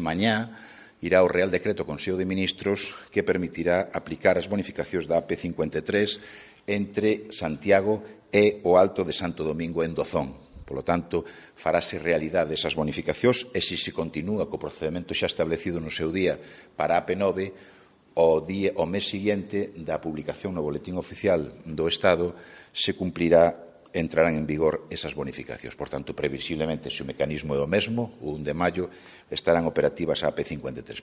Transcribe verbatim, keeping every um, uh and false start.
Mañá irá o Real Decreto Consello de Ministros que permitirá aplicar as bonificacións da A P cincuenta e tres entre Santiago e o Alto de Santo Domingo en Dozón. Polo tanto, farase realidade esas bonificacións e se se continúa co procedimento xa establecido no seu día para a A P nove, o, día, o mes seguinte da publicación no Boletín Oficial do Estado se cumplirá, entrarán en vigor esas bonificacións. Por tanto, previsiblemente, se o mecanismo é o mesmo, o un de maio, estarán operativas a A P cincuenta e tres.